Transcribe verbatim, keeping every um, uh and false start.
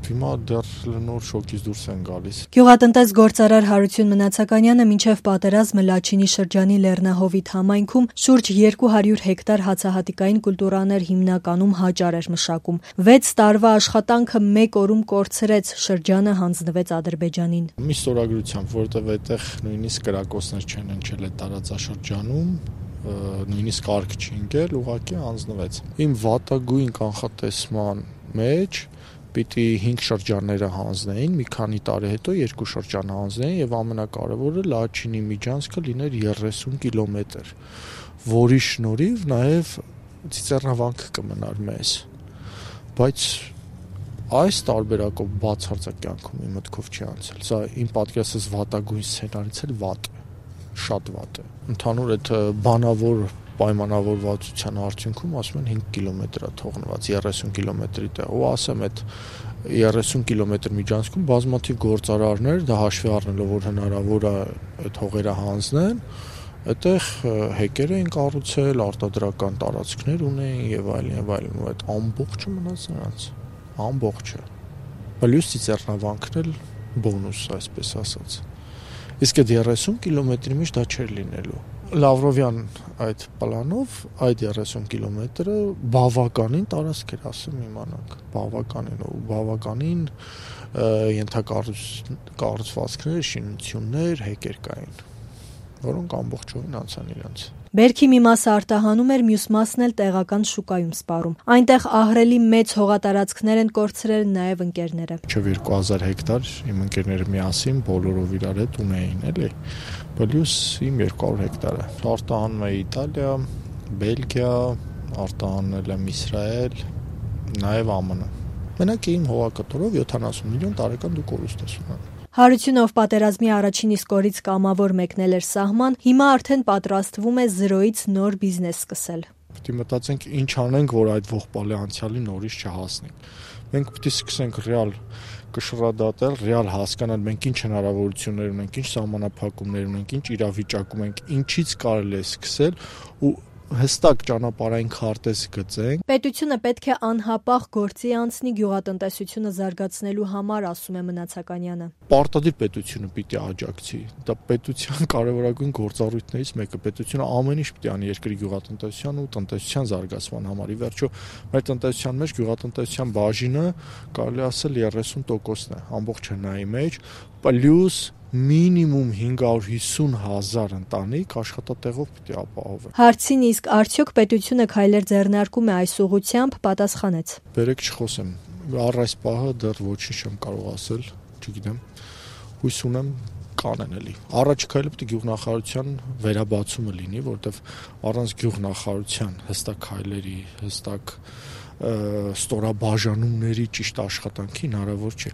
Հիմա դեռ նոր շոկից դուրս են գալիս։ Գյուղատնտես գործարար Հարություն Մնացականյանը մինչև պատերազմը Լաչինի շրջանի Լեռնահովիտ համայնքում շուրջ երկու հարյուր հեկտար հացահատիկային կուլտուրաներ, հիմնականում հաճար էր մշակում։ վեց տարվա աշխատանքը մեկ օրում կորցրեց, շրջանը հանձնվեց Ադրբեջանին։ Մի ստորագրությամբ, որովհետև այդտեղ նույնիսկ կրակոցներ չեն հնչել այդ տարածաշրջանում, նույնիսկ կարգ չի ընկել, ուղղակի հանձնվեց։ Իմ վատագույն կանխատեսման մեջ պիտի հինգ շրջանները հանձնեին, մի քանի տարի հետո երկու շրջան հանձնեին եւ ամենակարևորը Լաչինի միջանցքը լիներ երեսուն կիլոմետր, որի շնորհիվ նաեւ ծիծեռնավանք կմնար մեզ։ Բայց այս տարբերակով բացարձակ կյանքում իմ մտքով չի անցել։ Սա իմ պատկերացած վատագույն սցենարից էլ վատ է, շատ վատ է։ Ընդհանուր այդ բանավոր պայմանավորվածության արդյունքում ասում են հինգ կիլոմետր է թողնված երեսուն կիլոմետրի տեղ, ու ասեմ այդ երեսուն կիլոմետր միջանցքում բազմաթիվ գործարարներ, դա հաշվի առնելով որ հնարավոր է այդ հողերը հանձնեն, այդտեղ հեկեր էին կառուցել, արտադրական տարածքներ ունեին եւ այլն եւ այլն, ու այդ ամբողջը մնաց նրանց, ամբողջը։ Պլյուս ծիծեռնավանքն էլ բոնուս, այսպես ասած։ Իսկ այդ երեսուն կիլոմետրի մեջ դա չէր լինելու։ Լավրովյան այդ պլանով այդ երեսուն կիլոմետրը բավականին տարածք էր, ասեմ իմանանք, բավականին ու բավականին ենթակառուցվածքներ, շինություններ, հեկեր կային, որոնք ամբողջովին անցան իրենց։ Բերքի մի մասը արտահանում էր, մյուս մասն էլ տեղական շուկայում սպառում։ Այնտեղ ահռելի մեծ հողատարածքներ են կորցրել նաև ընկերները։ Մինչև երկու հազար հեկտար իմ ընկերները միասին բոլորով իրար հետ ունեին, էլի։ Պլյուս իմ երկու հարյուր հեկտարը։ Արտահանում է Իտալիա, Բելգիա, արտահանել եմ Իսրայել, նաև ԱՄՆ։ Մենակ իմ հողակտորով յոթանասուն միլիոն տարեկան դու կորուստ ես ունենում։ Հարությունը, ով պատերազմի առաջին իսկ օրից կամավոր մեկնել էր սահման, հիմա արդեն պատրաստվում է զրոյից նոր բիզնես սկսել։ Պետք է մտածենք ինչ անենք, որ այդ ողբալի անցյալի նորից չհասնենք։ Մենք պետք է սկսենք ռեալ կշռադատել, ռեալ հասկանալ մենք ինչ հնարավորություններ ունենք, ինչ սահմանափակումներ ունենք, ինչ իրավիճակում ենք, ինչից կարելի է սկսել ու հստակ ճանապարհային քարտեզ գծենք։ Պետությունը պետք է անհապաղ գործի անցնի գյուղատնտեսությունը զարգացնելու համար, ասում է Մնացականյանը։ Պարտադիր պետությունը պիտի աջակցի։ Դա պետության կարևորագույն գործառույթներից մեկը։ Պետությունը ամեն ինչ պիտի անի երկրի գյուղատնտեսության ու տնտեսության զարգացման համար։ Ի վերջո, մեր տնտեսության մեջ գյուղատնտեսության բաժինը կարելի ասել երեսուն տոկոսն է ամբողջ հնայի մեջ, պլյուս մինիմում հինգ հարյուր հիսուն հազար ընտանիք աշխատատեղով պիտի ապահովեն։ Հարցին իսկ արդյոք պետությունը քայլեր ձեռնարկում է այս ուղղությամբ, պատասխանեց. Բերեք չխոսեմ, առ այս պահը դեռ ոչինչ չեմ կարող ասել, չգիտեմ, հույս ունեմ կանեն էլի։ Առաջ քայլը պետք է գյուղնախարարության վերաբացումը լինի, որովհետև առանց գյուղնախարարության հստակ քայլերի, հստակ ստորաբաժանումների ճիշտ աշխատանքի հնարավոր չէ։